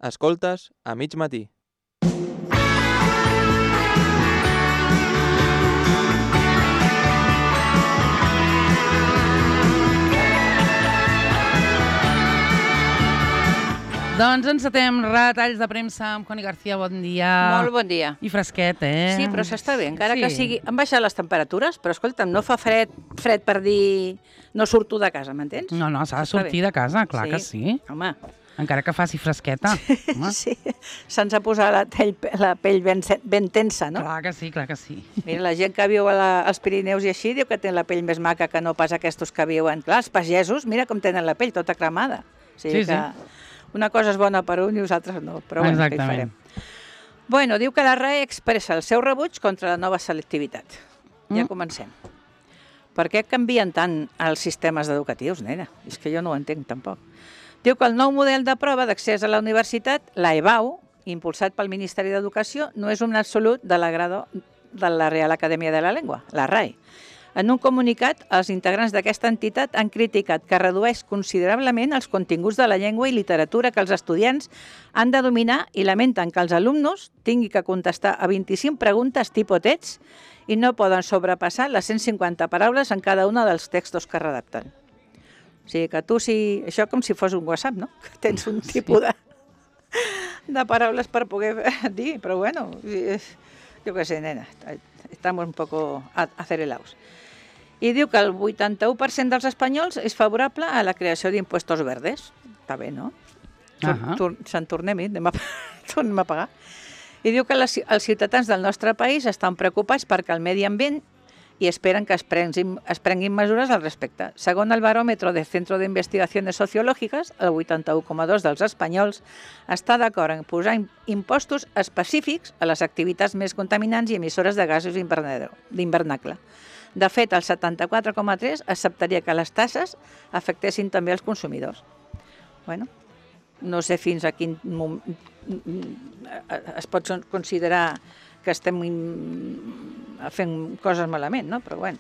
Escoltes a mig matí. Doncs encetem retalls de premsa amb Connie García, bon dia. Molt bon dia. I fresquet, eh? Sí, però s'està bé, encara Sí. que sigui... Han baixat les temperatures, però escolta'm, no fa fred per dir no surto de casa, m'entens? No, s'ha de Està sortir bé. de casa, clar que sí. Home, Encara que faci fresqueta. Home. sí, se'ns ha posat la pell ben tensa, no? Clar que sí, clar que sí. Mira, la gent que viu als Pirineus i així diu que té la pell més maca que no pas aquests que viuen. Clar, els pagesos, mira com tenen la pell tota cremada. O sigui Sí, que una cosa és bona per un i els altres no, però bueno, què hi farem? Bueno, diu que la RAE expressa el seu rebuig contra la nova selectivitat. Ja comencem. Per què canvien tant els sistemes educatius, nena? És que jo no ho entenc tampoc. Diu que el nou model de prova d'accés a la universitat, la EBAU, impulsat pel Ministeri d'Educació, no és un absolut de l'agrado de la Real Acadèmia de la Llengua, la RAE. En un comunicat, els integrants d'aquesta entitat han criticat que redueix considerablement els continguts de la llengua i literatura que els estudiants han de dominar i lamenten que els alumnes tinguin que contestar a 25 preguntes tipus text i no poden sobrepassar les 150 paraules en cada un dels textos que redacten. O sigui que tu, això com si fos un WhatsApp, no? Que tens un tipus de paraules per poder dir, però bueno, jo què sé, nena, estamos un poco acelerados. I diu que el 81% dels espanyols és favorable a la creació d'impuestos verdes. Està bé, no? Se'n tornem-hi, tornem a pagar. I diu que els ciutadans del nostre país estan preocupats perquè el medi ambient i esperen que es prenguin mesures al respecte. Segons el baròmetre del Centro de Investigaciones Sociológicas, el 81,2% dels espanyols està d'acord en posar impostos específics a les activitats més contaminants i emissores de gasos d'hivernacle. De fet, el 74,3% acceptaria que les taxes afectessin també els consumidors. Bueno, no sé fins a quin moment es pot considerar que estem fent coses malament, no? Però bueno.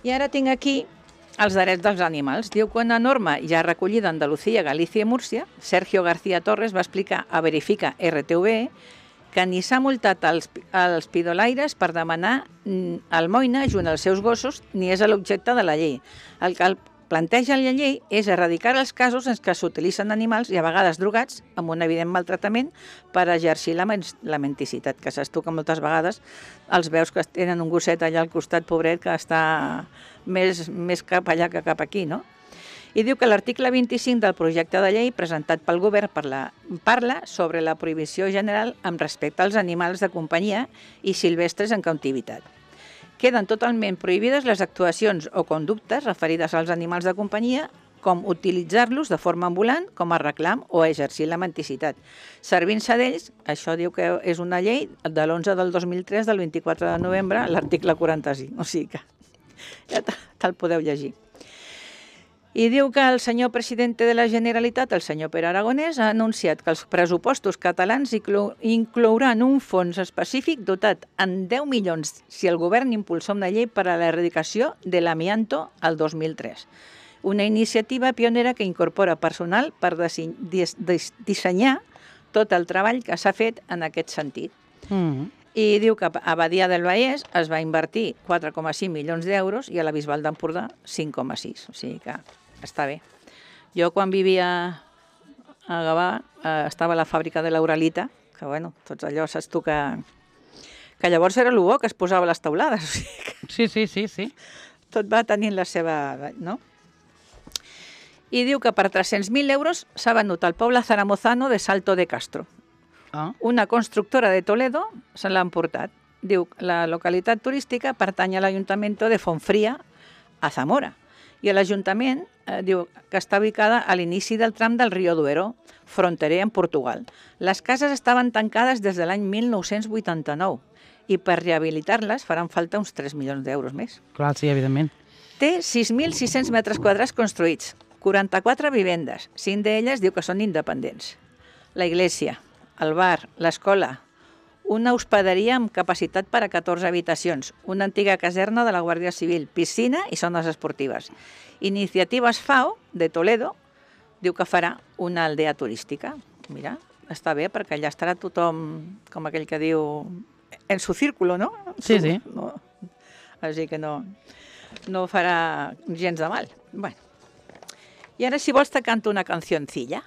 I ara tinc aquí els drets dels animals. Diu que una norma ja recollida a Andalucía, Galícia i Múrcia, Sergio García Torres va explicar a Verifica RTV que ni s'ha multat els pidolaires per demanar almoina junt als seus gossos ni és l'objecte de la llei. El que planteja la llei és erradicar els casos en què s'utilitzen animals i a vegades drogats amb un evident maltractament per exercir la mendicitat, que saps tu que moltes vegades els veus que tenen un gosset allà al costat, pobret, que està més cap allà que cap aquí, no? I diu que l'article 25 del projecte de llei presentat pel govern parla sobre la prohibició general amb respecte als animals de companyia i silvestres en cautivitat. Queden totalment prohibides les actuacions o conductes referides als animals de companyia, com utilitzar-los de forma ambulant, com a reclam o exercir la mendicitat. Servint-se d'ells, això diu que és una llei de l'11 del 2003, del 24 de novembre, l'article 45. O sigui que ja te'l podeu llegir. I diu que el senyor president de la Generalitat, el senyor Pere Aragonès, ha anunciat que els pressupostos catalans inclouran un fons específic dotat en 10 milions si el govern impulsa una llei per a l'erradicació de l'amianto al 2003. Una iniciativa pionera que incorpora personal per dissenyar tot el treball que s'ha fet en aquest sentit. I diu que a Badia del Vallès es va invertir 4,5 milions d'euros i a la Bisbal d'Empordà 5,6. O sigui que està bé. Jo quan vivia a Gavà estava a la fàbrica de l'Uralita, que bueno, tots allò saps tu que llavors era el bo que es posava a les taulades. O sigui que Sí. tot va tenint la seva... no? I diu que per 300.000 euros s'ha venut al poble zaramozano de Salto de Castro. Una constructora de Toledo se l'ha emportat. Diu que la localitat turística pertany a l'Ajuntament de Fontfria, a Zamora. I l'Ajuntament diu que està ubicada a l'inici del tram del Río Duero, fronterer amb Portugal. Les cases estaven tancades des de l'any 1989 i per rehabilitar-les faran falta uns 3 milions d'euros més. Clar, sí, evidentment. Té 6.600 metres quadrats construïts, 44 vivendes, 5 d'elles diu que són independents. La iglesia, el bar, l'escola, una hospederia amb capacitat per a 14 habitacions, una antiga caserna de la Guàrdia Civil, piscina i zones esportives. Iniciatives FAO de Toledo diu que farà una aldea turística. Mira, està bé, perquè allà estarà tothom, com aquell que diu, en su círculo, no? Sí, sí. No. Així que no farà gens de mal. Bueno. I ara, si vols, te canto una cancioncilla.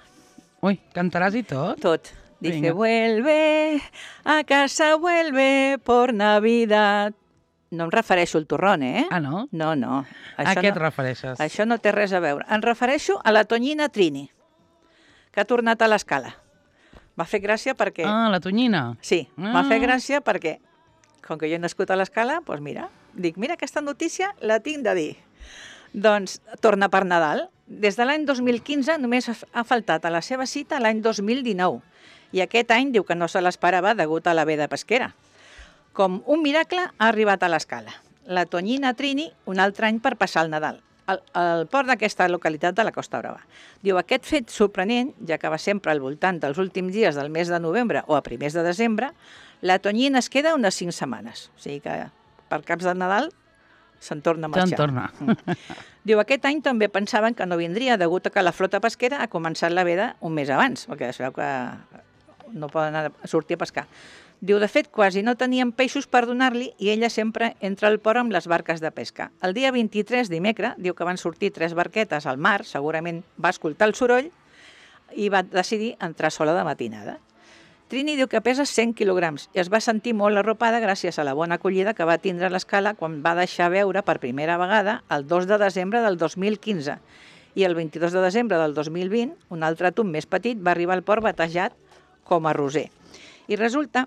Ui, cantaràs i tot? Tot. Dice, Vinga. vuelve, a casa vuelve por Navidad. No em refereixo al turrón, eh? Ah, no? No, no. A què et refereixes? Això no té res a veure. Em refereixo a la Tonyina Trini, que ha tornat a l'escala. M'ha fet gràcia perquè... Ah, la Tonyina. Sí, m'ha fet gràcia perquè, com que jo he nascut a l'escala, doncs mira, dic, mira, aquesta notícia la tinc de dir. Doncs torna per Nadal. Des de l'any 2015 només ha faltat a la seva cita l'any 2019. I aquest any diu que no se l'esperava degut a la veda pesquera. Com un miracle ha arribat a l'escala. La Tonyina Trini un altre any per passar el Nadal, al port d'aquesta localitat de la Costa Brava. Diu, aquest fet sorprenent, ja que va sempre al voltant dels últims dies del mes de novembre o a primers de desembre, la Tonyina es queda unes 5 setmanes. O sigui que per caps de Nadal se'n torna a marxar. Se'n torna. Diu, aquest any també pensaven que no vindria degut a que la flota pesquera ha començat la veda un mes abans, perquè es veu que no poden sortir a pescar. Diu, de fet, quasi no tenien peixos per donar-li i ella sempre entra al port amb les barques de pesca. El dia 23, dimecres, diu que van sortir 3 barquetes al mar, segurament va escoltar el soroll i va decidir entrar sola de matinada. Trini diu que pesa 100 quilograms i es va sentir molt arropada gràcies a la bona acollida que va tindre a l'escala quan va deixar veure per primera vegada el 2 de desembre del 2015 i el 22 de desembre del 2020 un altre àtom més petit va arribar al port batejat com a Roser. I resulta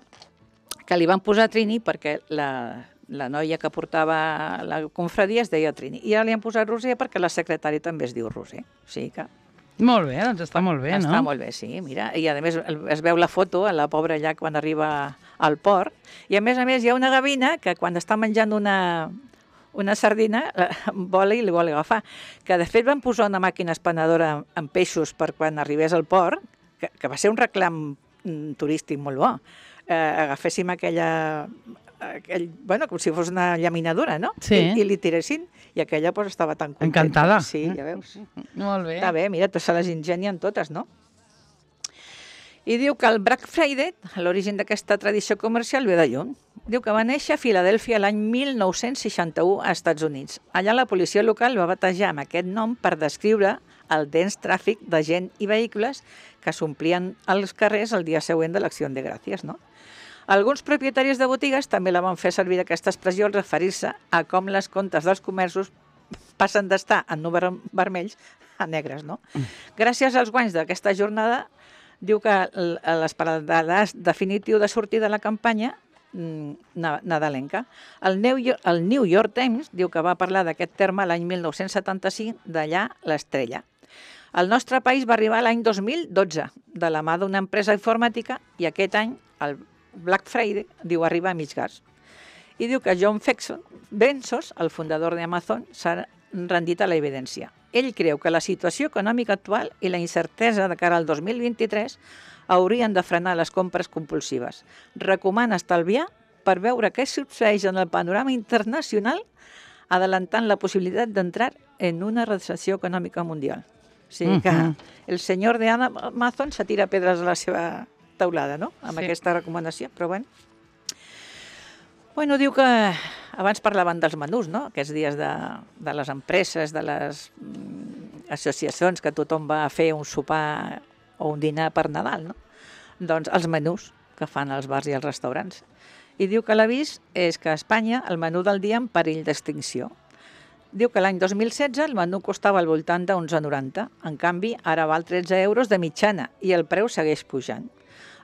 que li van posar Trini perquè la noia que portava la confradia es deia Trini. I ara li han posat Roser perquè la secretària també es diu Roser. O sigui que... Molt bé, doncs està molt bé, no? Està molt bé, sí, mira. I a més es veu la foto a la pobra allà quan arriba al port. I a més hi ha una gavina que quan està menjant una sardina vola i li vol agafar. Que de fet van posar una màquina espanadora amb peixos per quan arribés al port, que va ser un reclam turístic molt bo. Agaféssim bueno, com si fos una llaminadura, no? Sí. I li tiressin, i aquella pues, estava tan contenta. Encantada. Sí, ja veus. Molt bé. Està bé, mira, tots se les ingenien totes, no? I diu que el Black Friday, l'origen d'aquesta tradició comercial, ve de lluny. Diu que va néixer a Filadèlfia l'any 1961 als Estats Units. Allà la policia local va batejar amb aquest nom per descriure el dens tràfic de gent i vehicles que s'omplien als carrers el dia següent de l'Acció de Gràcies, no? Alguns propietaris de botigues també la van fer servir aquesta expressió al referir-se a com les comptes dels comerços passen d'estar en números vermells a negres, no? Gràcies als guanys d'aquesta jornada, diu que l'esperat definitiu de sortir de la campanya nadalenca. El New York Times diu que va parlar d'aquest terme l'any 1975, d'allà l'estrella. El nostre país va arribar l'any 2012, de la mà d'una empresa informàtica, i aquest any el Black Friday, diu, arriba a mig gas. I diu que John Bezos, el fundador d'Amazon, s'ha rendit a la evidència. Ell creu que la situació econòmica actual i la incertesa de cara al 2023 haurien de frenar les compres compulsives. Recomana estalviar per veure què succeeix en el panorama internacional, adelantant la possibilitat d'entrar en una recessió econòmica mundial. O sigui que el senyor d'Amazon se tira pedres a la seva taulada, no?, amb aquesta recomanació, però bueno. Bueno, diu que abans parlaven dels menús, no?, aquests dies de les empreses, de les associacions, que tothom va a fer un sopar o un dinar per Nadal, no? Doncs els menús que fan als bars i als restaurants. I diu que l'avís és que a Espanya el menú del dia en perill d'extinció. Diu que l'any 2016 el menú costava al voltant d'11,90. En canvi, ara val 13 euros de mitjana i el preu segueix pujant.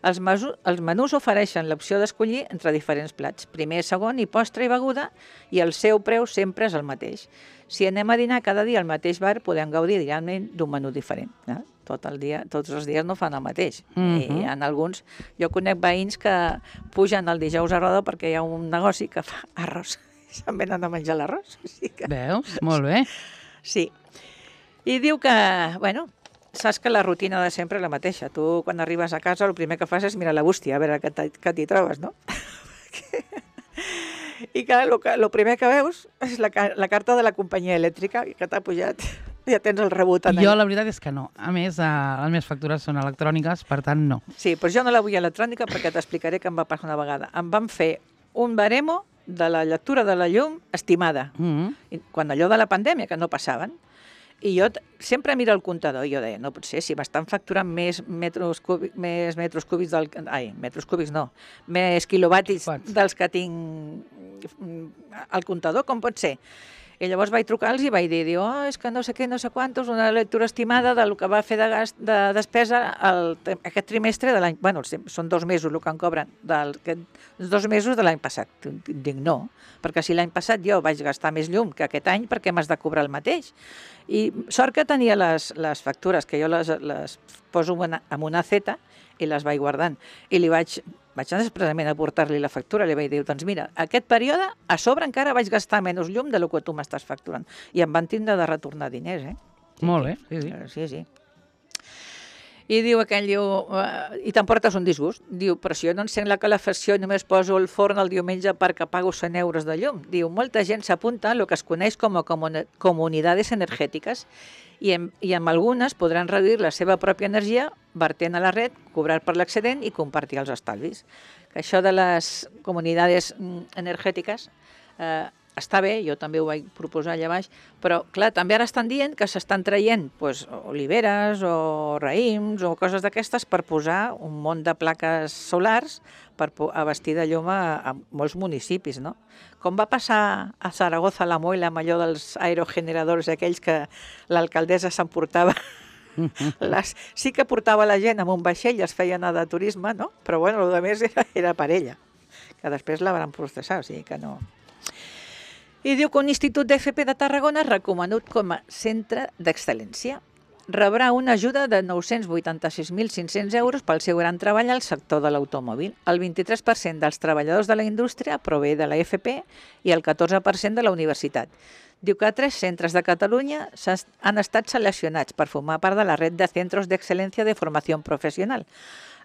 Els menús ofereixen l'opció d'escollir entre diferents plats, primer, segon i postre i beguda, i el seu preu sempre és el mateix. Si anem a dinar cada dia al mateix bar, podem gaudir diàriament d'un menú diferent. Tot el dia, tots els dies no fan el mateix. I en alguns, jo conec veïns que pugen el dijous a Roda perquè hi ha un negoci que fa arròs. Se'n venen a menjar l'arròs. Veus? Molt bé. Sí. I diu que, bueno, saps que la rutina de sempre és la mateixa. Tu, quan arribes a casa, el primer que fas és mirar la bústia, a veure què t'hi trobes, no? I que el primer que veus és la carta de la companyia elèctrica que t'ha pujat ja tens el rebut. Jo la veritat és que no. A més, les meves factures són electròniques, per tant, no. Sí, però jo no la vull electrònica perquè t'explicaré què em va passar una vegada. Em van fer un baremo de la lectura de la llum estimada. Quan allò de la pandèmia, que no passaven. I jo sempre miro el comptador i jo deia, no pot ser, si m'estan facturant més metres cúbics més quilowatis dels que tinc al comptador, com pot ser? I llavors vaig trucar-los i vaig dir, és que no sé què, no sé quantos, una lectura estimada del que va fer de despesa aquest trimestre de l'any... Bueno, són 2 mesos el que em cobren, els 2 mesos de l'any passat. Dic, no, perquè si l'any passat jo vaig gastar més llum que aquest any, perquè m'has de cobrar el mateix? I sort que tenia les factures, que jo les poso en una Z i les vaig guardant. I vaig anar expressament a portar-li la factura, li vaig dir, doncs mira, aquest període, a sobre encara vaig gastar menys llum del que tu m'estàs facturant. I em van tindre de retornar diners, Molt bé, sí. Sí. I diu aquell, i t'emportes un disgust. Diu, però si jo no encenc la calefacció i només poso el forn el diumenge perquè pago 100 euros de llum. Diu, molta gent s'apunta a el que es coneix com a comunidades energètiques i amb algunes podran reduir la seva pròpia energia vertent a la red, cobrar per l'excedent i compartir els estalvis. Això de les comunitats energètiques està bé, jo també ho vaig proposar allà baix, però clar, també ara estan dient que s'estan traient oliveres o raïms o coses d'aquestes per posar un munt de plaques solars per abastir de llum a molts municipis, no? Com va passar a Zaragoza, la Moila, amb allò dels aerogeneradors aquells que l'alcaldessa s'emportava. Sí que portava la gent amb un vaixell i es feia anar de turisme, no? Però bueno, el més era per ella, que després la van processar, o sigui que no... I diu que un institut d'FP de Tarragona recomanat com a centre d'excel·lència. Rebrà una ajuda de 986.500 euros pel seu gran treball al sector de l'automòbil. El 23% dels treballadors de la indústria prové de la FP i el 14% de la universitat. Diu que 3 centres de Catalunya han estat seleccionats per formar part de la red de centros d'excel·lència de formació professional,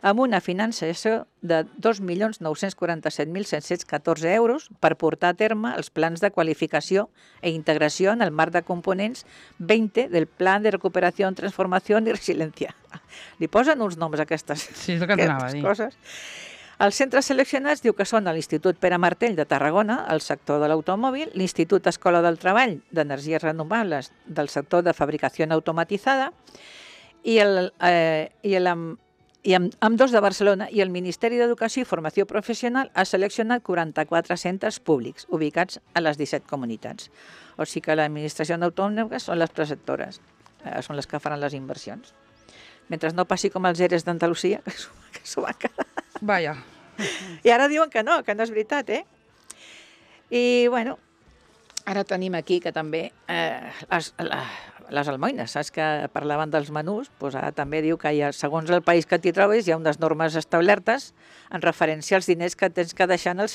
amb una finançació de 2.947.714 euros per portar a terme els plans de qualificació i integració en el marc de components 20 del Pla de Recuperació, Transformació i Resiliència. Li posen uns noms a aquestes coses. Els centres seleccionats diu que són l'Institut Pere Martell de Tarragona, el sector de l'automòbil, l'Institut Escola del Treball d'Energies Renovables del sector de fabricació automatitzada i ambdós de Barcelona, i el Ministeri d'Educació i Formació Professional ha seleccionat 44 centres públics ubicats a les 17 comunitats. O sigui que l'administració autònoma són les preceptores, són les que faran les inversions. Mentre no passi com els ERES d'Andalusia, que s'ho van quedar. Vaja. I ara diuen que no és veritat, I, bueno, ara tenim aquí que també les almoines, saps que parlaven dels menús, doncs ara també diu que segons el país que t'hi trobes hi ha unes normes establertes en referència als diners que tens que deixar en el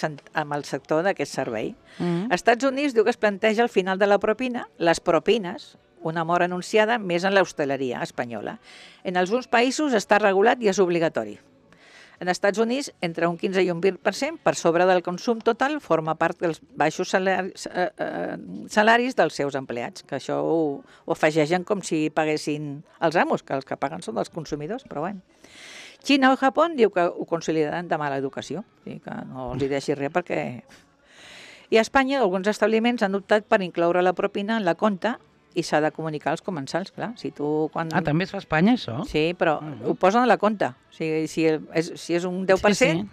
sector d'aquest servei. Als Estats Units diu que es planteja al final de la propina, les propines, una mort anunciada més en l'hostaleria espanyola. En alguns països està regulat i és obligatori. En els Estats Units, entre un 15 i un 20% per sobre del consum total forma part dels baixos salaris dels seus empleats, que això ho afegeixen com si paguessin els amos, que els que paguen són els consumidors, però bueno. Xina o Japó diu que ho consideren de mala educació, que no els hi deixi res perquè... I a Espanya alguns establiments han optat per incloure la propina en la compta i s'ha de comunicar als comensals, clar. Si tu, també es fa a Espanya, això? Sí, però ho posen a la compta. O sigui, si és un 10%,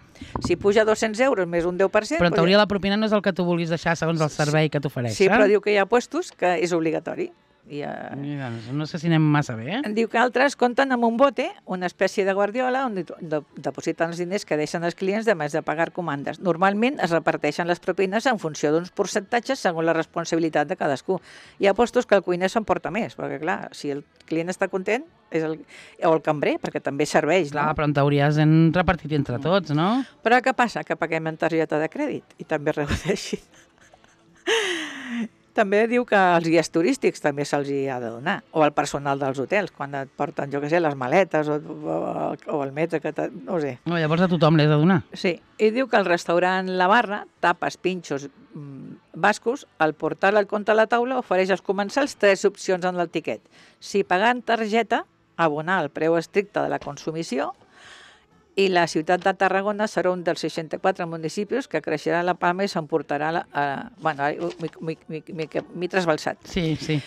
si puja 200 euros més un 10%... Però en teoria la propina no és el que tu vulguis deixar segons el servei que t'ofereix. Sí, però diu que hi ha puestos que és obligatori. No sé si anem massa bé, Diu que altres compten amb un bote, una espècie de guardiola, on depositen els diners que deixen els clients de més de pagar comandes. Normalment es reparteixen les propines en funció d'uns percentatges segons la responsabilitat de cadascú. Hi ha puestos que el cuiner s'emporta més, perquè clar, si el client està content, o el cambrer, perquè també serveix, no? Clar, però en teoria s'han repartit entre tots, no? Però què passa? Que paguem en targeta de crèdit i també redueixin. També diu que als guies turístics també se'ls ha de donar, o al personal dels hotels, quan et porten, jo què sé, les maletes o el metre, no ho sé. Llavors a tothom l'he de donar. Sí, i diu que al restaurant La Barra, tapes, pinxos, bascos, el portal al compte a la taula ofereix als comensals 3 opcions en el tiquet. Si pagar en targeta, abonar el preu estricte de la consumició, i la ciutat de Tarragona serà un dels 64 municipis que creixerà la palma i s'emportarà bueno, m'he trasbalsat. Sí, sí.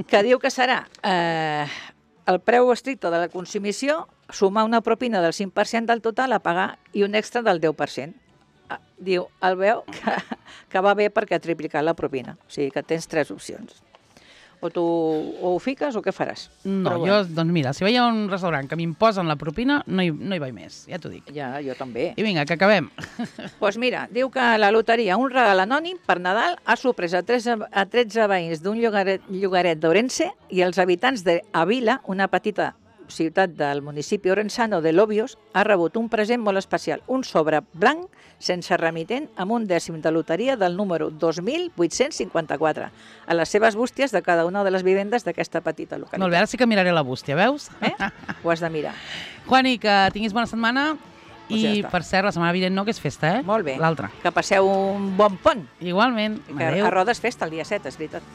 Que diu que serà el preu estricte de la consumició, sumar una propina del 5% del total a pagar i un extra del 10%. Diu, el veu que va bé perquè ha triplicat la propina. O sigui que tens 3 opcions. O tu ho fiques o què faràs? No, jo, doncs mira, si vaig a un restaurant que m'imposen la propina, no hi vaig més, ja t'ho dic. Ja, jo també. I vinga, que acabem. Doncs mira, diu que la loteria, un regal anònim per Nadal, ha sorprès a 13 veïns d'un llogaret d'Orense i els habitants d'Avila, una petita ciutat del municipi orensano de Lobios, ha rebut un present molt especial, un sobre blanc sense remitent amb un dècim de loteria del número 2854 a les seves bústies de cada una de les vivendes d'aquesta petita localitat. Molt bé, ara sí que miraré la bústia, veus? Ho has de mirar. Juani, que tinguis bona setmana Pues ja i, està. per cert, la setmana vinent no, que és festa, eh? Molt bé. L'altra. Que passeu un bon pont. Igualment. Que a Roda és festa el dia 7, és veritat.